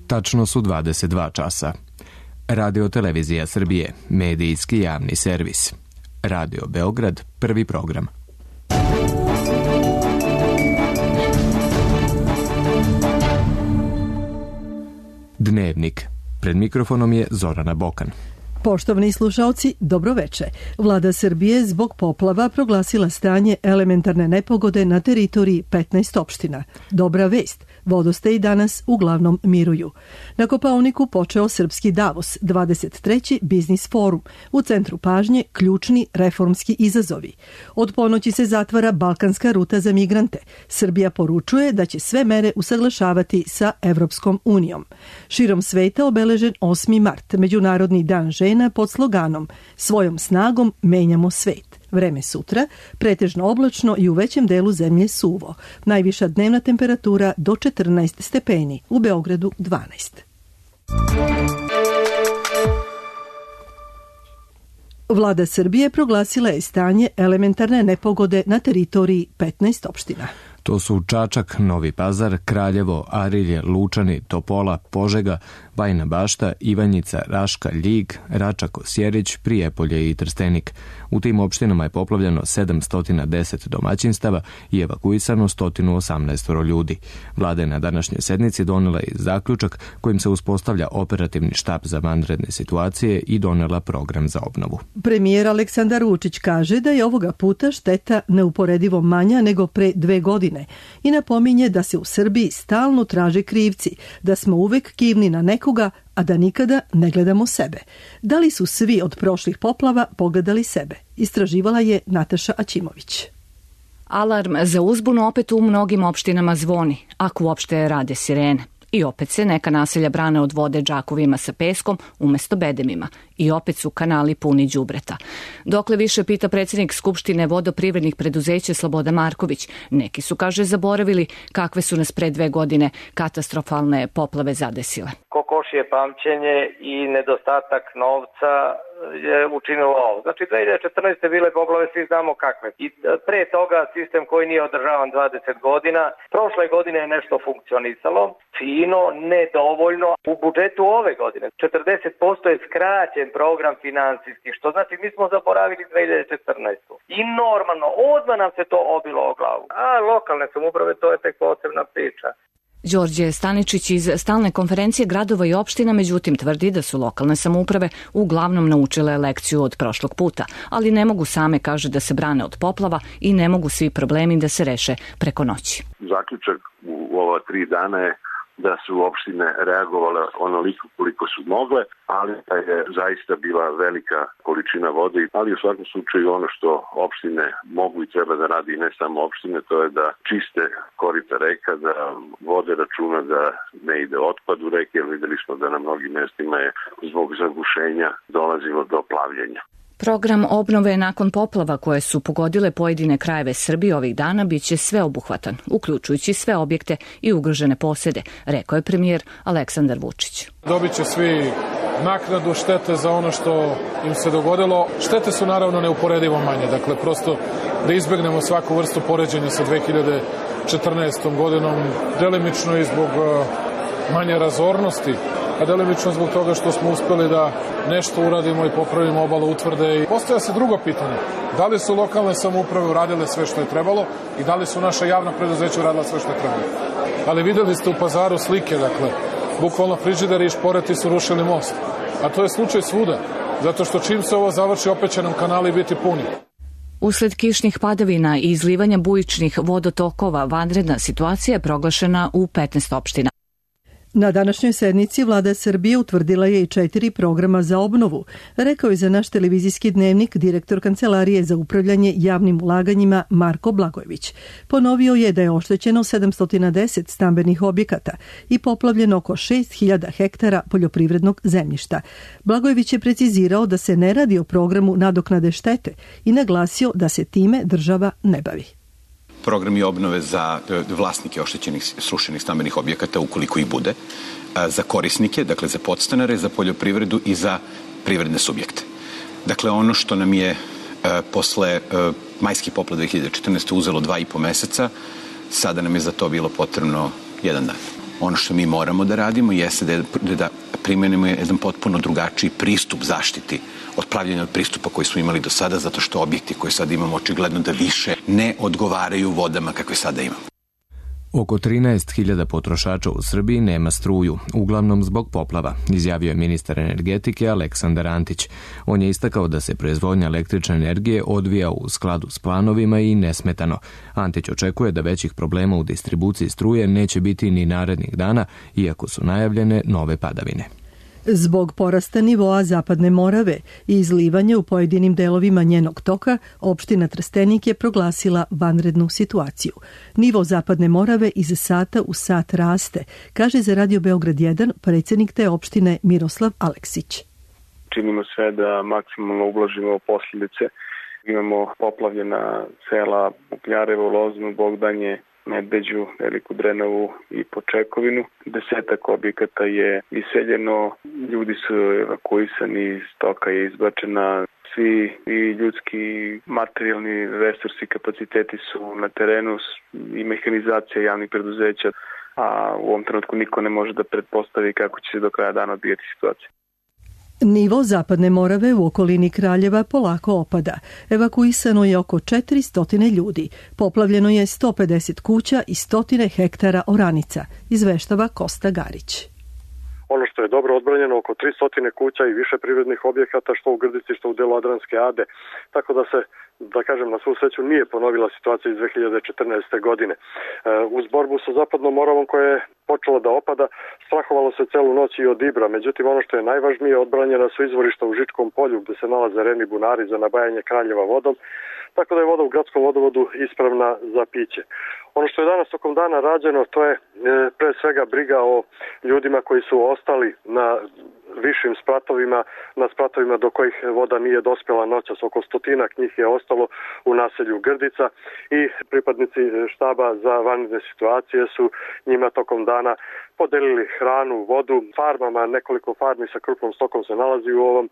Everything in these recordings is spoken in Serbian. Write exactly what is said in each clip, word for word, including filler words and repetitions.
Tačno su dvadeset dva časa. Radio Televizija Srbije, medijski javni servis. Radio Beograd, prvi program. Dnevnik. Pred mikrofonom je Zorana Bokan. Poštovani slušaoci, dobroveče. Vlada Srbije zbog poplava proglasila stanje elementarne nepogode na teritoriji petnaest opština. Dobra vest, vodostaji danas uglavnom miruju. Na Kopaoniku počeo Srpski Davos, dvadeset treći biznis forum. U centru pažnje ključni reformski izazovi. Od ponoći se zatvara balkanska ruta za migrante. Srbija poručuje da će sve mere usaglašavati sa Evropskom unijom. Širom sveta obeležen osmi mart, Međunarodni dan žena, pod sloganom "Svojom snagom menjamo svet". Vreme sutra, pretežno oblačno i u većem delu zemlje suvo. Najviša dnevna temperatura do četrnaest stepeni, u Beogradu dvanaest. Vlada Srbije proglasila je stanje elementarne nepogode na teritoriji petnaest opština. To su Čačak, Novi Pazar, Kraljevo, Arilje, Lučani, Topola, Požega, Bajina Bašta, Ivanjica, Raška, Ljig, Račak, Osjerić, Prijepolje i Trstenik. U tim opštinama je poplavljeno sedamsto deset domaćinstava i evakuisano sto osamnaest ljudi. Vlada je na današnjoj sednici donela i zaključak kojim se uspostavlja operativni štab za vanredne situacije i donela program za obnovu. Premijer Aleksandar Vučić kaže da je ovoga puta šteta neuporedivo manja nego pre dve godine i napominje da se u Srbiji stalno traže krivci, da smo uvek kivni na nekoga, a da nikada ne gledamo sebe. Da li su svi od prošlih poplava pogledali sebe? Istraživala je Nataša Aćimović. Alarm za uzbunu opet u mnogim opštinama zvoni, ako uopšte rade sirene. I opet se neka naselja brane od vode džakovima sa peskom umesto bedemima. I opet su kanali puni đubreta. Dokle više, pita predsjednik Skupštine vodoprivrednih preduzeća Slobodan Marković. Neki su, kaže, zaboravili kakve su nas pre dve godine katastrofalne poplave zadesile. Kokošije pamćenje i nedostatak novca je učinilo ovo. Znači, dve hiljade četrnaeste. bile poplave, svi znamo kakve. I pre toga sistem koji nije održavan dvadeset godina. Prošle godine je nešto funkcionisalo, fino, nedovoljno. U budžetu ove godine četrdeset posto je skraćen program finansijski, što znači mi smo zaboravili dve hiljade četrnaestu. I normalno, odmah nam se to obilo o glavu. A lokalne samouprave, to je tek posebna priča. Đorđe Staničić iz stalne konferencije gradova i opština međutim tvrdi da su lokalne samouprave uglavnom naučile lekciju od prošlog puta, ali ne mogu same, kaže, da se brane od poplava i ne mogu svi problemi da se reše preko noći. Zaključak u ova tri dana je da su opštine reagovale onoliko koliko su mogle, ali da je zaista bila velika količina vode, ali u svakom slučaju ono što opštine mogu i treba da radi, i ne samo opštine, to je da čiste korita reka, da vode računa da ne ide otpad u reke, jer videli smo da na mnogim mestima je zbog zagušenja dolazilo do plavljenja. Program obnove nakon poplava koje su pogodile pojedine krajeve Srbije ovih dana biće sveobuhvatan, uključujući sve objekte i ugrožene posede, rekao je premijer Aleksandar Vučić. Dobit će svi naknadu štete za ono što im se dogodilo. Štete su naravno neuporedivo manje, dakle prosto da izbegnemo svaku vrstu poređenja sa dve hiljade četrnaestom. godinom, delimično i zbog manje razornosti, a delimično zbog toga što smo uspeli da nešto uradimo i popravimo obalu utvrde. I postoja se drugo pitanje, da li su lokalne samouprave uradile sve što je trebalo i da li su naša javna preduzeća uradila sve što je trebalo. Ali videli ste u Pazaru slike, dakle, bukvalno frižideri i šporeti su rušili most. A to je slučaj svuda, zato što čim se ovo završi, opet će nam kanali biti puni. Usled kišnih padavina i izlivanja bujičnih vodotokova, vanredna situacija je proglašena u petnaest opština. Na današnjoj sednici Vlada Srbije utvrdila je i četiri programa za obnovu, rekao je za naš televizijski dnevnik direktor Kancelarije za upravljanje javnim ulaganjima Marko Blagojević. Ponovio je da je oštećeno sedamsto deset stambenih objekata i poplavljeno oko šest hiljada hektara poljoprivrednog zemljišta. Blagojević je precizirao da se ne radi o programu nadoknade štete i naglasio da se time država ne bavi. Programi obnove za vlasnike oštećenih srušenih stambenih objekata, ukoliko ih bude, za korisnike, dakle za podstanare, za poljoprivredu i za privredne subjekte. Dakle, ono što nam je posle majskih poplava dve hiljade četrnaeste. uzelo dva i po meseca, sada nam je za to bilo potrebno jedan dan. Ono što mi moramo da radimo jeste da, da primenimo jedan potpuno drugačiji pristup zaštiti od pravljenja od pristupa koji smo imali do sada, zato što objekti koje sad imamo očigledno da više ne odgovaraju vodama kakve sada imamo. Oko trinaest hiljada potrošača u Srbiji nema struju, uglavnom zbog poplava, izjavio je ministar energetike Aleksandar Antić. On je istakao da se proizvodnja električne energije odvija u skladu s planovima i nesmetano. Antić očekuje da većih problema u distribuciji struje neće biti ni narednih dana, iako su najavljene nove padavine. Zbog porasta nivoa Zapadne Morave i izlivanja u pojedinim delovima njenog toka, opština Trstenik je proglasila vanrednu situaciju. Nivo Zapadne Morave iz sata u sat raste, kaže za Radio Beograd jedan predsjednik te opštine Miroslav Aleksić. Činimo sve da maksimalno ublažimo posljedice. Imamo poplavljena sela Ukljarevo, Loznu, Bogdanje, Medveđu, Veliku Drenovu i Počekovinu. Desetak objekata je iseljeno, ljudi su evakuisani, stoka je izbačena, svi i ljudski materijalni resursi, kapaciteti su na terenu i mehanizacija javnih preduzeća, a u ovom trenutku niko ne može da pretpostavi kako će se do kraja dana odvijati situacija. Nivo Zapadne Morave u okolini Kraljeva polako opada. Evakuisano je oko četiristo ljudi. Poplavljeno je sto pedeset kuća i stotine hektara oranica, izveštava Kosta Garić. Ono što je dobro odbranjeno, oko tristo kuća i više privrednih objekata, što u Grdici, što u delu Adranske Ade. Tako da se, da kažem, na svu sreću nije ponovila situacija iz dve hiljade četrnaeste. godine. Uz borbu sa Zapadnom Moravom koja je počela da opada, strahovalo se celu noć i od Ibra. Međutim, ono što je najvažnije, odbranjena su izvorišta u Žičkom polju gde se nalaze reni bunari za nabajanje Kraljeva vodom, tako da je voda u gradskom vodovodu ispravna za piće. Ono što je danas tokom dana rađeno, to je e, pre svega briga o ljudima koji su ostali na višim spratovima, na spratovima do kojih voda nije dospjela noćas. Oko stotinak njih je ostalo u naselju Grdica i pripadnici štaba za vanredne situacije su njima tokom dana podelili hranu, vodu, farmama, nekoliko farmi sa krupnom stokom se nalazi u ovom e,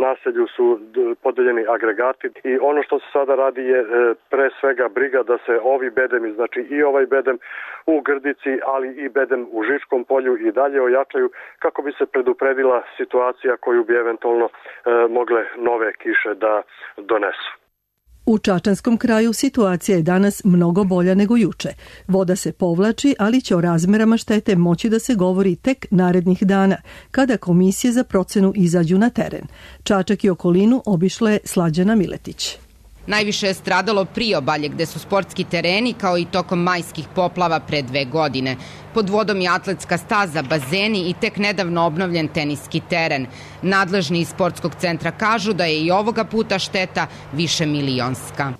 naselju, su podeljeni agregati i ono što se sada radi je e, pre svega briga da se ovi bedemi, znači i ovaj bedem u Grdici, ali i bedem u Žičkom polju i dalje ojačaju kako bi se predupredila situacija koju bi eventualno e, mogle nove kiše da donesu. U Čačanskom kraju situacija je danas mnogo bolja nego juče. Voda se povlači, ali će o razmerama štete moći da se govori tek narednih dana, kada komisije za procenu izađu na teren. Čačak i okolinu obišla je Slađana Miletić. Najviše je stradalo priobalje gde su sportski tereni kao i tokom majskih poplava pre dve godine. Pod vodom je atletska staza, bazeni i tek nedavno obnovljen teniski teren. Nadležni iz sportskog centra kažu da je i ovoga puta šteta više milionska.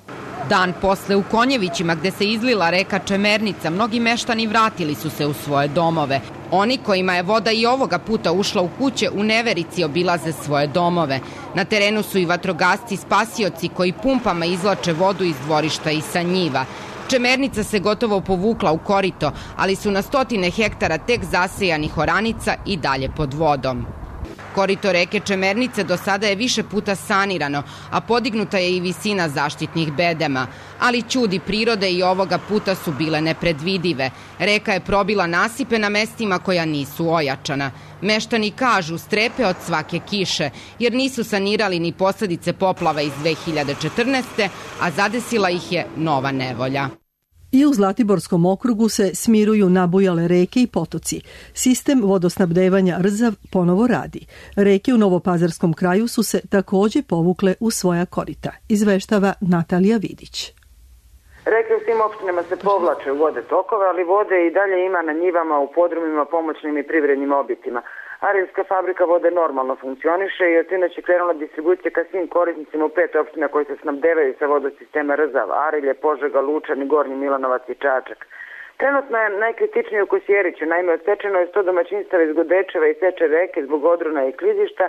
Dan posle u Konjevićima gde se izlila reka Čemernica, mnogi meštani vratili su se u svoje domove. Oni kojima je voda i ovoga puta ušla u kuće u neverici obilaze svoje domove. Na terenu su i vatrogasci spasioci koji pumpama izvlače vodu iz dvorišta i sa njiva. Čemernica se gotovo povukla u korito, ali su na stotine hektara tek zasejanih oranica i dalje pod vodom. Korito reke Čemernice do sada je više puta sanirano, a podignuta je i visina zaštitnih bedema. Ali ćudi prirode i ovoga puta su bile nepredvidive. Reka je probila nasipe na mestima koja nisu ojačana. Meštani kažu strepe od svake kiše, jer nisu sanirali ni posledice poplava iz dve hiljade četrnaeste. a zadesila ih je nova nevolja. I u Zlatiborskom okrugu se smiruju nabujale reke i potoci. Sistem vodosnabdevanja Rzav ponovo radi. Reke u Novopazarskom kraju su se takođe povukle u svoja korita, izveštava Natalija Vidić. Reke u svim opštinama se povlače u vode tokove, ali vode i dalje ima na njivama, u podrumima, pomoćnim i privrednim objektima. Arilska fabrika vode normalno funkcioniše i od sinoć je krenula distribucija ka svim korisnicima u pet opština koji se snabdevaju sa vodosistema Rzav, Arilje, Požega, Lučani, Gornji Milanovac i Čačak. Trenutno je najkritičnije u Kosjeriću, naime odsečeno je sto domaćinstava iz Godečeva i Seče reke zbog odrona i klizišta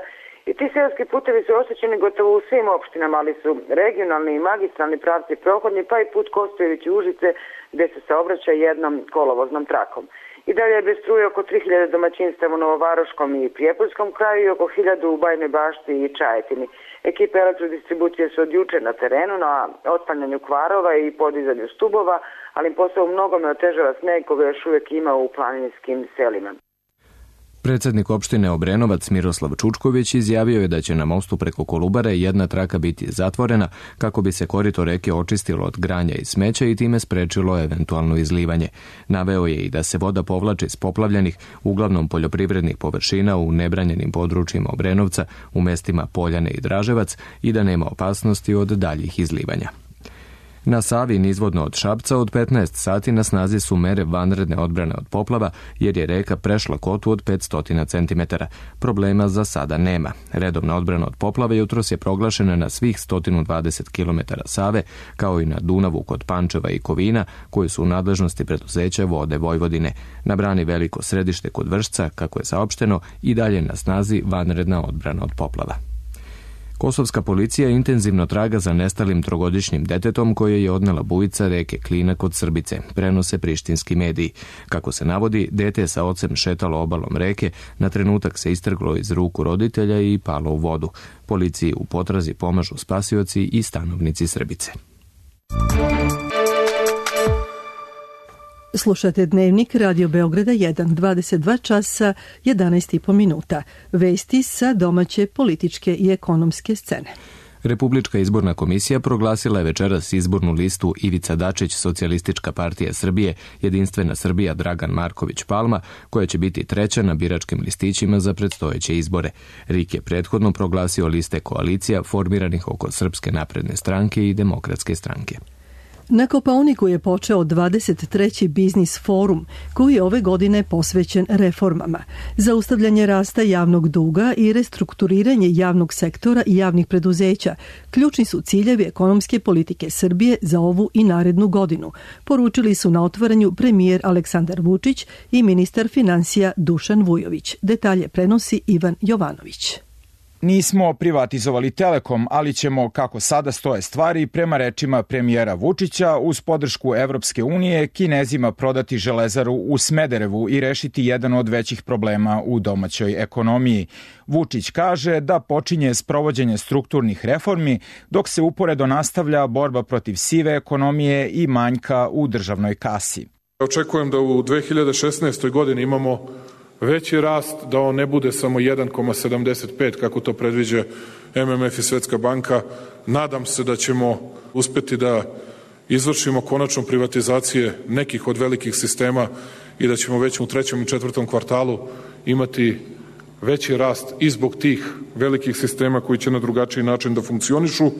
i ti seoski putevi su oštećeni gotovo u svim opštinama, ali su regionalni i magistralni pravci prohodni, pa i put Kostojević i Užice gde se saobraća jednom kolovoznom trakom. I dalje je bez struje oko tri hiljade domaćinstava u Novovaroškom i Prijepoljskom kraju i oko hiljadu u Bajnoj Bašti i Čajetini. Ekipe elektrodistribucije su od juče na terenu na otklanjanju kvarova i podizanju stubova, ali im posao mnogome otežava sneg koga još uvijek ima u planinskim selima. Predsednik opštine Obrenovac Miroslav Čučković izjavio je da će na mostu preko Kolubare jedna traka biti zatvorena kako bi se korito reke očistilo od granja i smeća i time sprečilo eventualno izlivanje. Naveo je i da se voda povlači s poplavljenih, uglavnom poljoprivrednih površina u nebranjenim područjima Obrenovca, u mestima Poljane i Draževac i da nema opasnosti od daljih izlivanja. Na Savi nizvodno od Šapca od petnaest sati na snazi su mere vanredne odbrane od poplava jer je reka prešla kotu od petsto centimetara. Problema za sada nema. Redovna odbrana od poplave jutros je proglašena na svih sto dvadeset kilometara Save, kao i na Dunavu kod Pančeva i Kovina, koji su u nadležnosti preduzeća Vode Vojvodine. Na brani Veliko Središte kod Vršca, kako je saopšteno, i dalje na snazi vanredna odbrana od poplava. Kosovska policija intenzivno traga za nestalim trogodišnjim detetom koje je odnela bujica reke Klina kod Srbice, prenose prištinski mediji. Kako se navodi, dete je sa ocem šetalo obalom reke, na trenutak se istrglo iz ruku roditelja i palo u vodu. Policiji u potrazi pomažu spasioci i stanovnici Srbice. Slušate Dnevnik Radio Beograda jedan, dvadeset dva časa, jedanaest i po minuta. Vesti sa domaće političke i ekonomske scene. Republička izborna komisija proglasila je večeras izbornu listu Ivica Dačić, Socijalistička partija Srbije, Jedinstvena Srbija Dragan Marković Palma, koja će biti treća na biračkim listićima za predstojeće izbore. R I K je prethodno proglasio liste koalicija formiranih oko Srpske napredne stranke i Demokratske stranke. Na Kopaoniku je počeo dvadeset treći biznis forum, koji je ove godine posvećen reformama. Zaustavljanje rasta javnog duga i restrukturiranje javnog sektora i javnih preduzeća ključni su ciljevi ekonomske politike Srbije za ovu i narednu godinu, poručili su na otvaranju premijer Aleksandar Vučić i ministar finansija Dušan Vujović. Detalje prenosi Ivan Jovanović. Nismo privatizovali Telekom, ali ćemo, kako sada stoje stvari, prema rečima premijera Vučića, uz podršku Evropske unije, Kinezima prodati železaru u Smederevu i rešiti jedan od većih problema u domaćoj ekonomiji. Vučić kaže da počinje sprovođenje strukturnih reformi, dok se uporedo nastavlja borba protiv sive ekonomije i manjka u državnoj kasi. Očekujem da u dve hiljade šesnaestoj. godini imamo veći rast, da on ne bude samo jedan zarez sedamdeset pet kako to predviđa M M F i Svetska banka. Nadam se da ćemo uspeti da izvršimo konačno privatizacije nekih od velikih sistema i da ćemo već u trećem i četvrtom kvartalu imati veći rast i zbog tih velikih sistema koji će na drugačiji način da funkcionišu.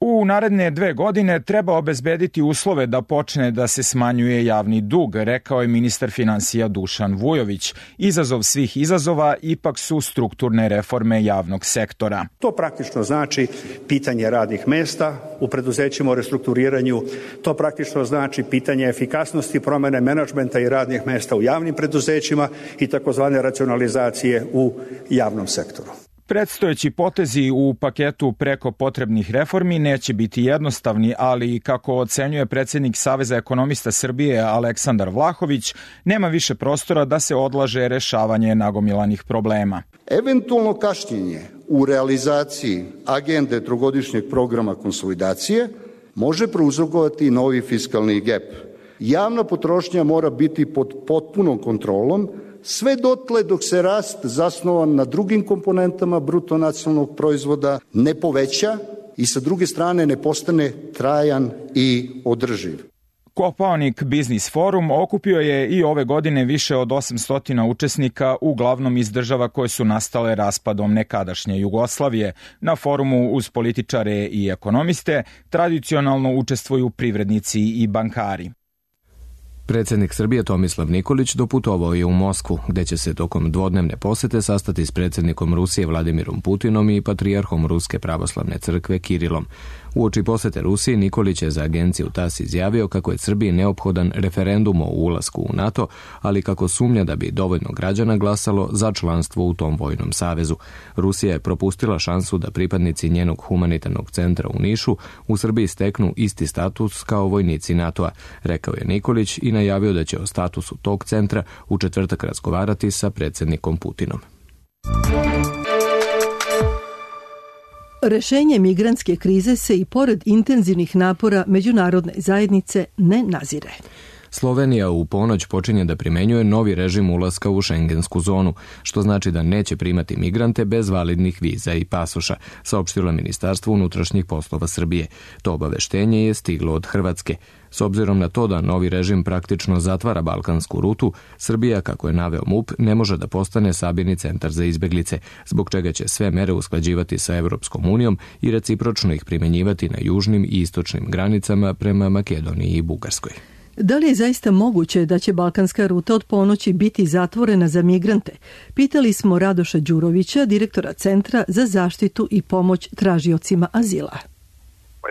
U naredne dve godine treba obezbediti uslove da počne da se smanjuje javni dug, rekao je ministar finansija Dušan Vujović. Izazov svih izazova ipak su strukturne reforme javnog sektora. To praktično znači pitanje radnih mesta u preduzećima o restrukturiranju, to praktično znači pitanje efikasnosti promene menadžmenta i radnih mesta u javnim preduzećima i takozvane racionalizacije u javnom sektoru. Predstojeći potezi u paketu preko potrebnih reformi neće biti jednostavni, ali kako ocenjuje predsjednik Saveza ekonomista Srbije Aleksandar Vlahović, nema više prostora da se odlaže rešavanje nagomilanih problema. Eventualno kašnjenje u realizaciji agende trogodišnjeg programa konsolidacije može prouzrokovati novi fiskalni gep. Javna potrošnja mora biti pod potpunom kontrolom, sve dotle dok se rast zasnovan na drugim komponentama bruto nacionalnog proizvoda ne poveća i sa druge strane ne postane trajan i održiv. Kopaonik Biznis forum okupio je i ove godine više od osamsto učesnika, uglavnom iz država koje su nastale raspadom nekadašnje Jugoslavije. Na forumu uz političare i ekonomiste tradicionalno učestvuju privrednici i bankari. Predsjednik Srbije Tomislav Nikolić doputovao je u Moskvu, gde će se tokom dvodnevne posete sastati s predsjednikom Rusije Vladimirom Putinom i patrijarhom Ruske pravoslavne crkve Kirilom. Uoči posete Rusiji, Nikolić je za agenciju TAS izjavio kako je Srbiji neophodan referendum o ulasku u NATO, ali kako sumnja da bi dovoljno građana glasalo za članstvo u tom vojnom savezu. Rusija je propustila šansu da pripadnici njenog humanitarnog centra u Nišu u Srbiji steknu isti status kao vojnici NATO-a, rekao je Nikolić i najavio da će o statusu tog centra u četvrtak razgovarati sa predsjednikom Putinom. Rešenje migrantske krize se i pored intenzivnih napora međunarodne zajednice ne nazire. Slovenija u ponoć počinje da primenjuje novi režim ulaska u šengensku zonu, što znači da neće primati migrante bez validnih viza i pasoša, saopštilo Ministarstvo unutrašnjih poslova Srbije. To obaveštenje je stiglo od Hrvatske. S obzirom na to da novi režim praktično zatvara balkansku rutu, Srbija, kako je naveo MUP, ne može da postane sabirni centar za izbeglice, zbog čega će sve mere usklađivati sa Evropskom unijom i recipročno ih primenjivati na južnim i istočnim granicama prema Makedoniji i Bugarskoj. Da li je zaista moguće da će balkanska ruta od ponoći biti zatvorena za migrante? Pitali smo Radoša Đurovića, direktora Centra za zaštitu i pomoć tražiocima azila.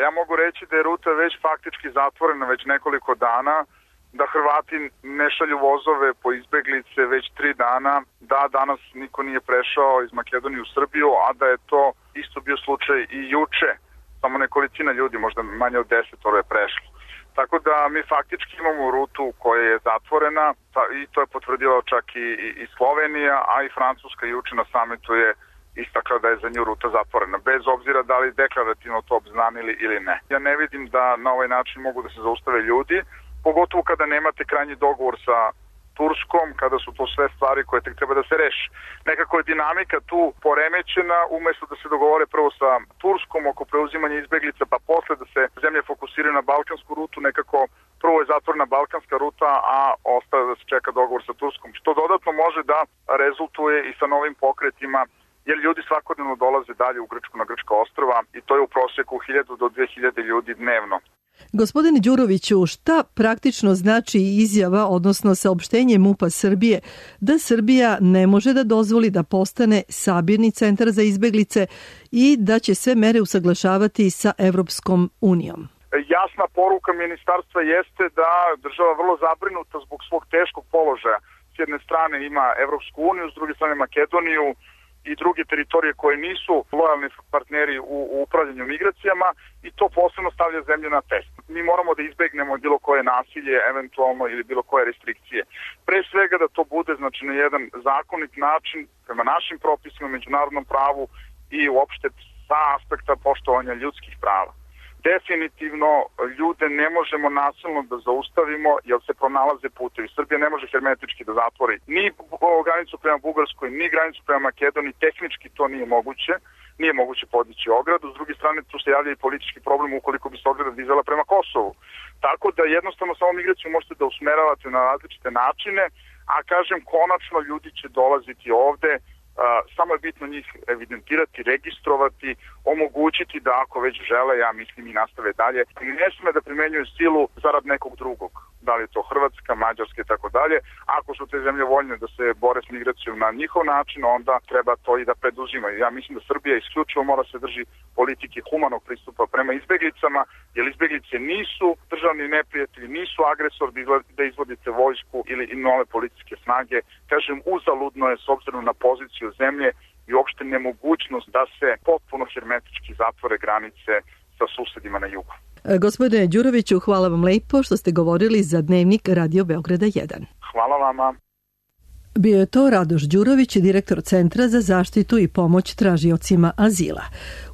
Ja mogu reći da je ruta već faktički zatvorena već nekoliko dana, da Hrvati ne šalju vozove po izbeglice već tri dana, da danas niko nije prešao iz Makedonije u Srbiju, a da je to isto bio slučaj i juče. Samo nekolicina ljudi, možda manje od deset, je prešlo. Tako da mi faktički imamo rutu koja je zatvorena i to je potvrdila čak i, i Slovenija, a i Francuska juče na samitu je istakla da je za nju ruta zatvorena, bez obzira da li deklarativno to obznanili ili ne. Ja ne vidim da na ovaj način mogu da se zaustave ljudi, pogotovo kada nemate krajnji dogovor sa Turskom, kada su to sve stvari koje tek treba da se reši. Nekako je dinamika tu poremećena, umesto da se dogovore prvo sa Turskom oko preuzimanja izbeglica, pa posle da se zemlje fokusiraju na balkansku rutu, nekako prvo je zatvorena balkanska ruta, a ostaje da se čeka dogovor sa Turskom, što dodatno može da rezultuje i sa novim pokretima, jer ljudi svakodnevno dolaze dalje u Grčku na Grčka ostrva i to je u prosjeku hiljadu do dve hiljade ljudi dnevno. Gospodine Đuroviću, šta praktično znači izjava, odnosno saopštenje MUP-a Srbije, da Srbija ne može da dozvoli da postane sabirni centar za izbeglice i da će sve mere usaglašavati sa Evropskom unijom? Jasna poruka ministarstva jeste da država vrlo zabrinuta zbog svog teškog položaja. S jedne strane ima Evropsku uniju, s druge strane Makedoniju i druge teritorije koje nisu lojalni partneri u, u upravljanju migracijama i to posebno stavlja zemlju na test. Mi moramo da izbegnemo bilo koje nasilje, eventualno ili bilo koje restrikcije. Pre svega da to bude znači na jedan zakonit način prema našim propisima, međunarodnom pravu i uopšte sa aspekta poštovanja ljudskih prava. Definitivno ljude ne možemo nasilno da zaustavimo jer se pronalaze putevi. Srbija ne može hermetički da zatvori ni granicu prema Bugarskoj, ni granicu prema Makedoniji. Tehnički to nije moguće. Nije moguće podići ogradu. S druge strane, tu se javlja i politički problem ukoliko bi se ograda dizala prema Kosovu. Tako da jednostavno samo migraciju možete da usmeravate na različite načine, a kažem, konačno ljudi će dolaziti ovde. Uh, samo je bitno njih evidentirati, registrovati, omogućiti da ako već žele, ja mislim i nastave dalje, ne sme da primenjuju silu zarad nekog drugog, da li je to Hrvatska, Mađarska i tako dalje. Ako su te zemlje voljne da se bore s migracijom na njihov način, onda treba to i da preduzimaju. Ja mislim da Srbija isključivo mora se drži politike humanog pristupa prema izbeglicama, jer izbeglice nisu državni neprijatelji, nisu agresor da izvodite vojsku ili i nove policijske snage. Kažem, uzaludno je s obzirom na poziciju zemlje i uopšte nemogućnost da se potpuno hermetički zatvore granice sa susedima na jugu. Gospodine Đuroviću, hvala vam lepo što ste govorili za Dnevnik Radio Beograda jedan. Hvala vama. Bio je to Radoš Đurović, direktor Centra za zaštitu i pomoć tražiocima azila.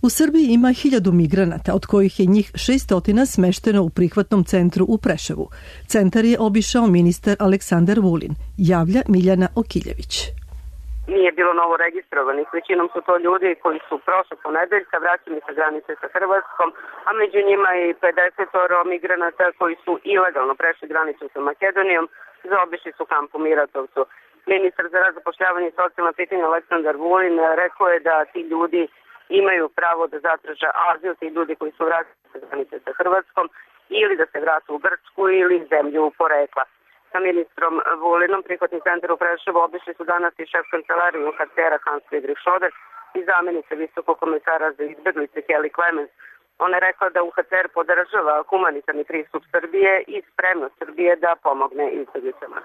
U Srbiji ima hiljadu migranata, od kojih je njih šestotina smešteno u prihvatnom centru u Preševu. Centar je obišao ministar Aleksandar Vulin, javlja Miljana Okiljević. Nije bilo novo registrovanih, većinom su to ljudi koji su prošle ponedeljka vraćeni sa granice sa Hrvatskom, a među njima i pedeset migranata koji su ilegalno prešli granicu sa Makedonijom, zaobišli su kamp u Miratovcu. Ministar za rad, zapošljavanje i socijalna pitanja Aleksandar Vulin rekao je da ti ljudi imaju pravo da zatraže azil, ti ljudi koji su vraćeni sa granice sa Hrvatskom, ili da se vrate u Grčku ili zemlju porekla. Sa ministrom Vulinom prihvatni centar u Preševu obišli su danas i šef kancelarije U N H C R-a Hans Friedrich Schröder i zamjenica visokog komesara za izbeglice Kelly Clemens. Ona je rekla da U H C R podržava humanitarni pristup Srbije i spremnost Srbije da pomogne izbeglicama.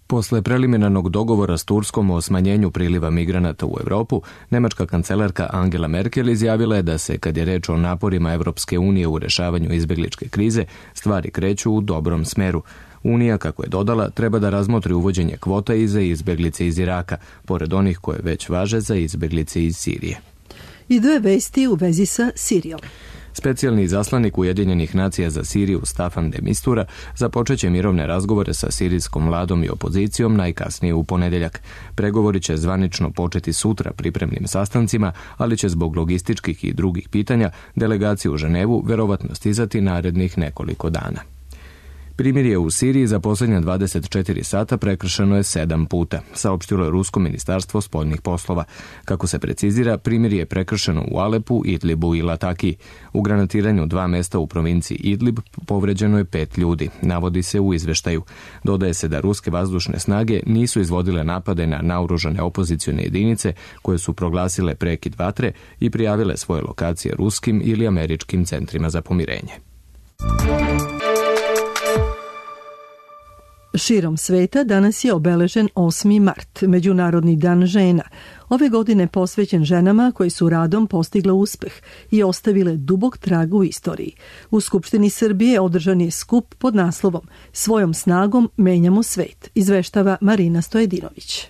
Posle preliminarnog dogovora s Turskom o smanjenju priliva migranata u Evropu, nemačka kancelarka Angela Merkel izjavila je da se, kad je reč o naporima Evropske unije u rešavanju izbegličke krize, stvari kreću u dobrom smeru. Unija, kako je dodala, treba da razmotri uvođenje kvota i za izbeglice iz Iraka, pored onih koje već važe za izbeglice iz Sirije. I dve vesti u vezi sa Sirijom. Specijalni izaslanik Ujedinjenih nacija za Siriju Staffan de Mistura započeće mirovne razgovore sa sirijskom vladom i opozicijom najkasnije u ponedeljak. Pregovori će zvanično početi sutra pripremnim sastancima, ali će zbog logističkih i drugih pitanja delegaciju u Ženevu verovatno stizati narednih nekoliko dana. Primirje u Siriji za posljednja dvadeset četiri sata prekršeno je sedam puta, saopštilo je Rusko ministarstvo spoljnih poslova. Kako se precizira, primirje je prekršeno u Alepu, Idlibu i Lataki. U granatiranju dva mesta u provinciji Idlib povređeno je pet ljudi, navodi se u izveštaju. Dodaje se da ruske vazdušne snage nisu izvodile napade na naoružane opozicione jedinice koje su proglasile prekid vatre i prijavile svoje lokacije ruskim ili američkim centrima za pomirenje. Širom sveta danas je obeležen osmi mart, Međunarodni dan žena. Ove godine posvećen ženama koji su radom postigle uspeh i ostavile dubok trag u istoriji. U Skupštini Srbije održan je skup pod naslovom Svojom snagom menjamo svet, izveštava Marina Stojedinović.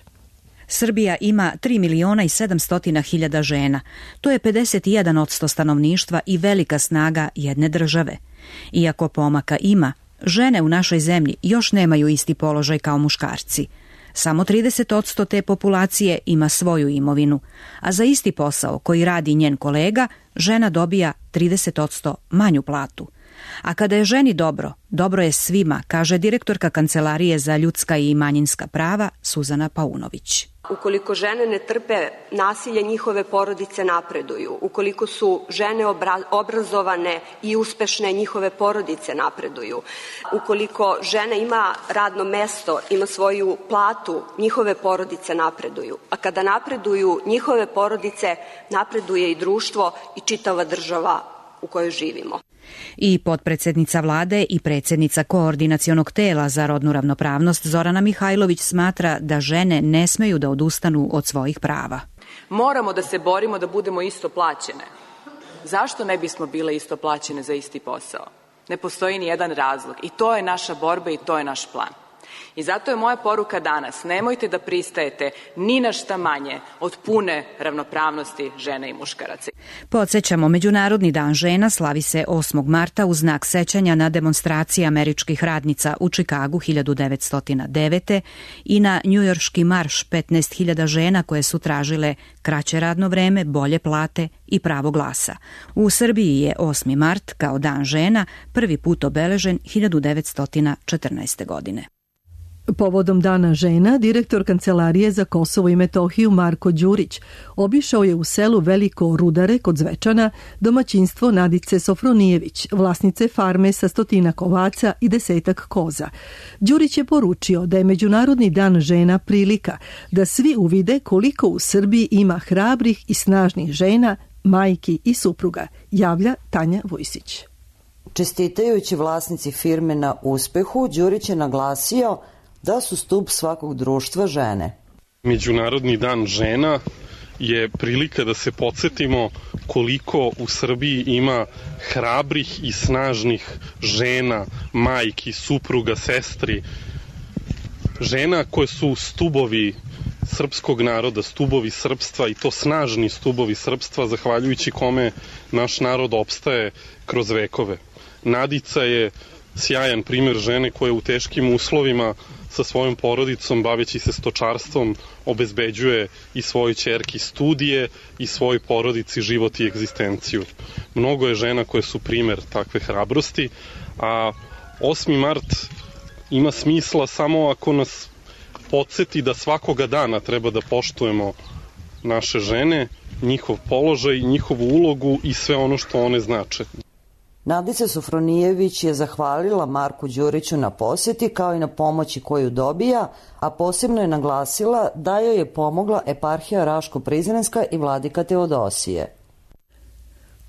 Srbija ima tri miliona i sedamsto hiljada žena. To je pedeset jedan posto stanovništva i velika snaga jedne države. Iako pomaka ima, žene u našoj zemlji još nemaju isti položaj kao muškarci. Samo trideset posto te populacije ima svoju imovinu, a za isti posao koji radi njen kolega, žena dobija trideset posto manju platu. A kada je ženi dobro, dobro je svima, kaže direktorka Kancelarije za ljudska i manjinska prava Suzana Paunović. Ukoliko žene ne trpe nasilje, njihove porodice napreduju. Ukoliko su žene obra- obrazovane i uspešne, njihove porodice napreduju. Ukoliko žena ima radno mesto, ima svoju platu, njihove porodice napreduju. A kada napreduju njihove porodice, napreduje i društvo i čitava država u kojoj živimo. I potpredsednica vlade i predsjednica koordinacionog tela za rodnu ravnopravnost Zorana Mihajlović smatra da žene ne smeju da odustanu od svojih prava. Moramo da se borimo da budemo isto plaćene. Zašto ne bismo bile isto plaćene za isti posao? Ne postoji ni jedan razlog i to je naša borba i to je naš plan. I zato je moja poruka danas, nemojte da pristajete ni na šta manje od pune ravnopravnosti žene i muškaraca. Podsjećamo, Međunarodni dan žena slavi se osmog marta u znak sećanja na demonstracije američkih radnica u Čikagu hiljadu devetsto devete. i na njujorški marš petnaest hiljada žena koje su tražile kraće radno vreme, bolje plate i pravo glasa. U Srbiji je osmi mart kao dan žena prvi put obeležen hiljadu devetsto četrnaeste. godine. Povodom Dana žena, direktor Kancelarije za Kosovo i Metohiju Marko Đurić obišao je u selu Veliko Rudare kod Zvečana domaćinstvo Nadice Sofronijević, vlasnice farme sa stotinak ovaca i desetak koza. Đurić je poručio da je Međunarodni dan žena prilika da svi uvide koliko u Srbiji ima hrabrih i snažnih žena, majki i supruga, javlja Tanja Vujsić. Čestitajući vlasnici firme na uspehu, Đurić je naglasio da su stup svakog društva žene. Međunarodni dan žena je prilika da se podsjetimo koliko u Srbiji ima hrabrih i snažnih žena, majki, supruga, sestri, žena koje su stubovi srpskog naroda, stubovi srpstva i to snažni stubovi srpstva zahvaljujući kome naš narod opstaje kroz vekove. Nadica je sjajan primjer žene koja u teškim uslovima sa svojom porodicom, baveći se stočarstvom, obezbeđuje i svojoj ćerki studije i svojoj porodici život i egzistenciju. Mnogo je žena koje su primjer takve hrabrosti, a osmi mart ima smisla samo ako nas podsjeti da svakoga dana treba da poštujemo naše žene, njihov položaj, njihovu ulogu i sve ono što one znače. Nadica Sofronijević je zahvalila Marku Đuriću na posjeti kao i na pomoći koju dobija, a posebno je naglasila da joj je pomogla eparhija Raško-Prizrenska i vladika Teodosije.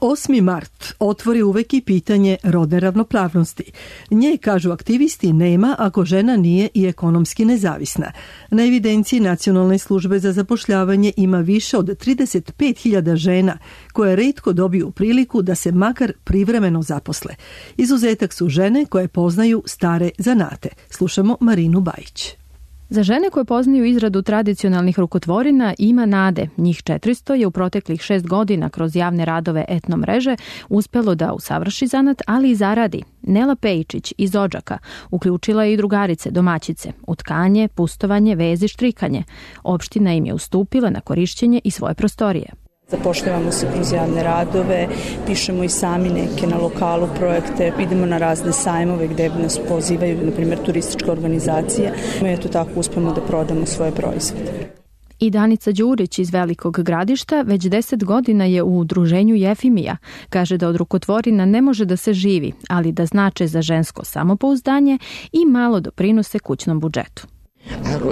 osmi mart otvori uvek i pitanje rodne ravnopravnosti. Nje, kažu aktivisti, nema ako žena nije i ekonomski nezavisna. Na evidenciji Nacionalne službe za zapošljavanje ima više od trideset pet hiljada žena koje retko dobiju priliku da se makar privremeno zaposle. Izuzetak su žene koje poznaju stare zanate. Slušamo Marinu Bajić. Za žene koje poznaju izradu tradicionalnih rukotvorina ima nade. Njih četiristo je u proteklih šest godina kroz javne radove etno mreže uspelo da usavrši zanat, ali i zaradi. Nela Pejičić iz Odžaka uključila je i drugarice domaćice u tkanje, pustovanje, vezi, štrikanje. Opština im je ustupila na korišćenje i svoje prostorije. Zapošljavamo se kroz javne radove, pišemo i sami neke na lokalu projekte, idemo na razne sajmove gde nas pozivaju, na primjer, turističke organizacije. Mi eto tako uspemo da prodamo svoje proizvode. I Danica Đurić iz Velikog Gradišta već deset godina je u udruženju Jefimija. Kaže da od rukotvorina ne može da se živi, ali da znače za žensko samopouzdanje i malo doprinose kućnom budžetu.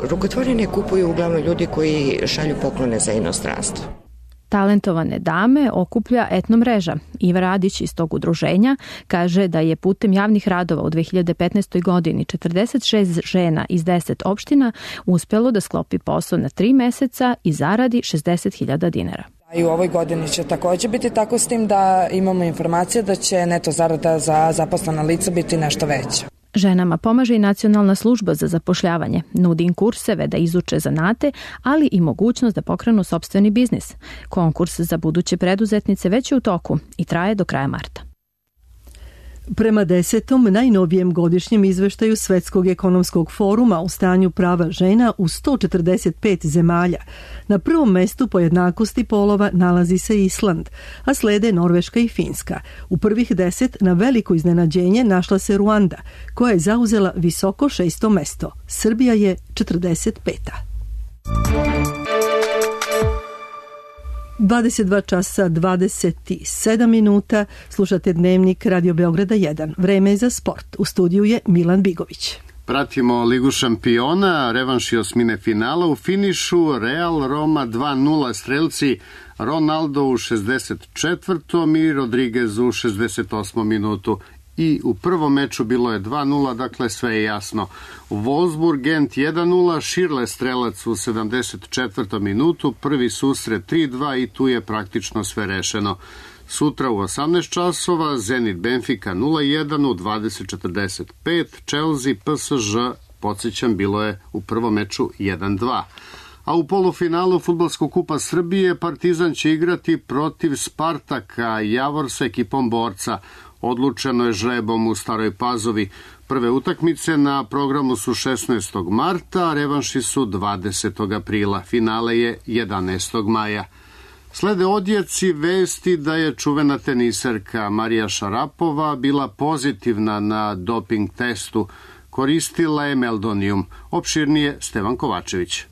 Rukotvorine kupuju uglavnom ljudi koji šalju poklone za inostranstvo. Talentovane dame okuplja etno mreža. Iva Radić iz tog udruženja kaže da je putem javnih radova u dve hiljade petnaestoj godini četrdeset šest žena iz deset opština uspelo da sklopi posao na tri meseca i zaradi šezdeset hiljada dinara. I u ovoj godini će također biti tako, s tim da imamo informacije da će neto zarada za zaposlena lica biti nešto veća. Ženama pomaže i Nacionalna služba za zapošljavanje. Nudi im kurseve da izuče zanate, ali i mogućnost da pokrenu sopstveni biznis. Konkurs za buduće preduzetnice već je u toku i traje do kraja marta. Prema desetom najnovijem godišnjem izveštaju Svetskog ekonomskog foruma o stanju prava žena u sto četrdeset pet zemalja, na prvom mestu po jednakosti polova nalazi se Island, a slede Norveška i Finska. U prvih deset na veliko iznenađenje našla se Ruanda, koja je zauzela visoko šesto mesto. Srbija je četrdeset peta. dvadeset dva časa dvadeset sedam minuta, slušate Dnevnik Radio Beograda jedan. Vreme je za sport. U studiju je Milan Bigović. Pratimo Ligu šampiona, revanš i osmine finala. U finišu Real Roma dva nula, strelci Ronaldo u šezdeset četvrtom i Rodriguez u šezdeset osmom minutu. I u prvom meču bilo je dva nula, dakle sve je jasno. Wolfsburg Gent jedan nula, Širle strelac u sedamdeset četvrtom minutu, prvi susret tri dva i tu je praktično sve rešeno. Sutra u osamnaest časova Zenit Benfica nula jedan, u dvadeset četrdeset pet Chelsea P S Ž, podsjećam, bilo je u prvom meču jedan dva. A u polufinalu Fudbalskog kupa Srbije Partizan će igrati protiv Spartaka, Javor sa ekipom Borca. Odlučeno je žrebom u Staroj Pazovi. Prve utakmice na programu su šesnaestog marta, a revanši su dvadesetog aprila. Finale je jedanaestog maja. Slede odjeci vesti da je čuvena teniserka Marija Šarapova bila pozitivna na doping testu. Koristila je meldonium. Opširnije Stevan Kovačević.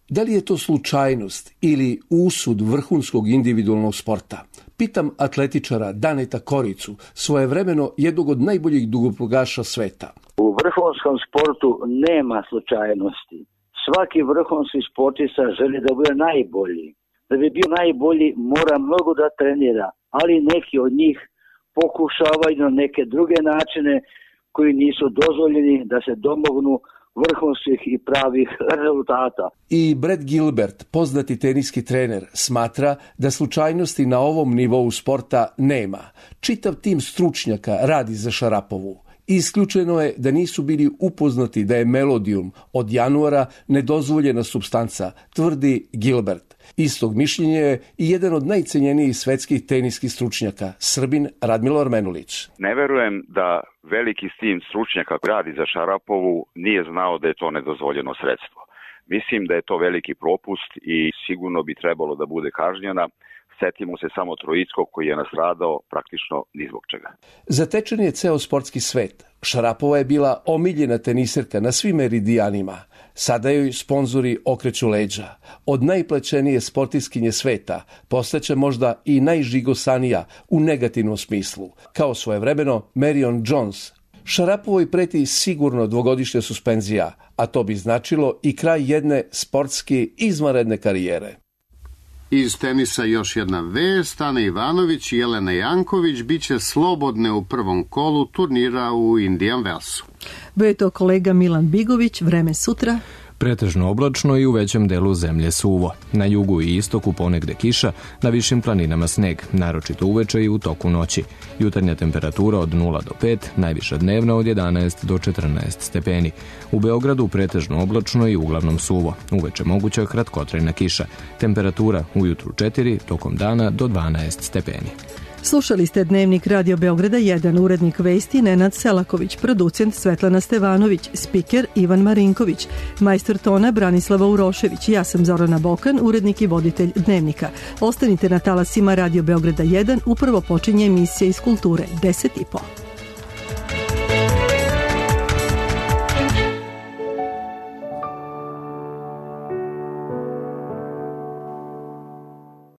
Da li je to slučajnost ili usud vrhunskog individualnog sporta? Pitam atletičara Daneta Koricu, svojevremeno jednog od najboljih dugoprugaša sveta. U vrhunskom sportu nema slučajnosti. Svaki vrhunski sportista želi da bude najbolji. Da bi bio najbolji mora mnogo da trenira, ali neki od njih pokušavaju na neke druge načine koji nisu dozvoljeni da se domognu vrhunskih i pravih rezultata. I Brett Gilbert, poznati teniski trener, smatra da slučajnosti na ovom nivou sporta nema. Čitav tim stručnjaka radi za Šarapovu. Isključeno je da nisu bili upoznati da je melodijum od januara nedozvoljena supstanca, tvrdi Gilbert. Istog mišljenja je i jedan od najcenjenijih svetskih teniskih stručnjaka, Srbin Radmilo Armenulić. Ne verujem da veliki tim stručnjaka koji radi za Šarapovu nije znao da je to nedozvoljeno sredstvo. Mislim da je to veliki propust i sigurno bi trebalo da bude kažnjena. Setimo se samo Trojickog koji je nastradao praktično ni zbog čega. Zatečen je ceo sportski svet. Šarapova je bila omiljena teniserka na svim meridijanima. Sada joj sponzori okreću leđa. Od najplaćenije sportistkinje sveta postaće možda i najžigosanija u negativnom smislu, kao svojevremeno Marion Jones. Šarapovoj preti sigurno dvogodišnja suspenzija, a to bi značilo i kraj jedne sportski izvanredne karijere. Iz tenisa još jedna vest, Ana Ivanović i Jelena Janković biće slobodne u prvom kolu turnira u Indian Wellsu. Bio je to kolega Milan Bigović, vreme sutra. Pretežno oblačno i u većem delu zemlje suvo. Na jugu i istoku ponegde kiša, na višim planinama sneg, naročito uveče i u toku noći. Jutarnja temperatura od nula do pet, najviša dnevna od jedanaest do četrnaest stepeni. U Beogradu pretežno oblačno i uglavnom suvo. Uveče moguća kratkotrajna kiša. Temperatura ujutru četiri, tokom dana do dvanaest stepeni. Slušali ste Dnevnik Radio Beograda jedan, urednik vesti Nenad Selaković, producent Svetlana Stevanović, spiker Ivan Marinković, majstor tona Branislava Urošević, ja sam Zorana Bokan, urednik i voditelj Dnevnika. Ostanite na talasima Radio Beograda jedan, upravo počinje emisija iz kulture deset i po.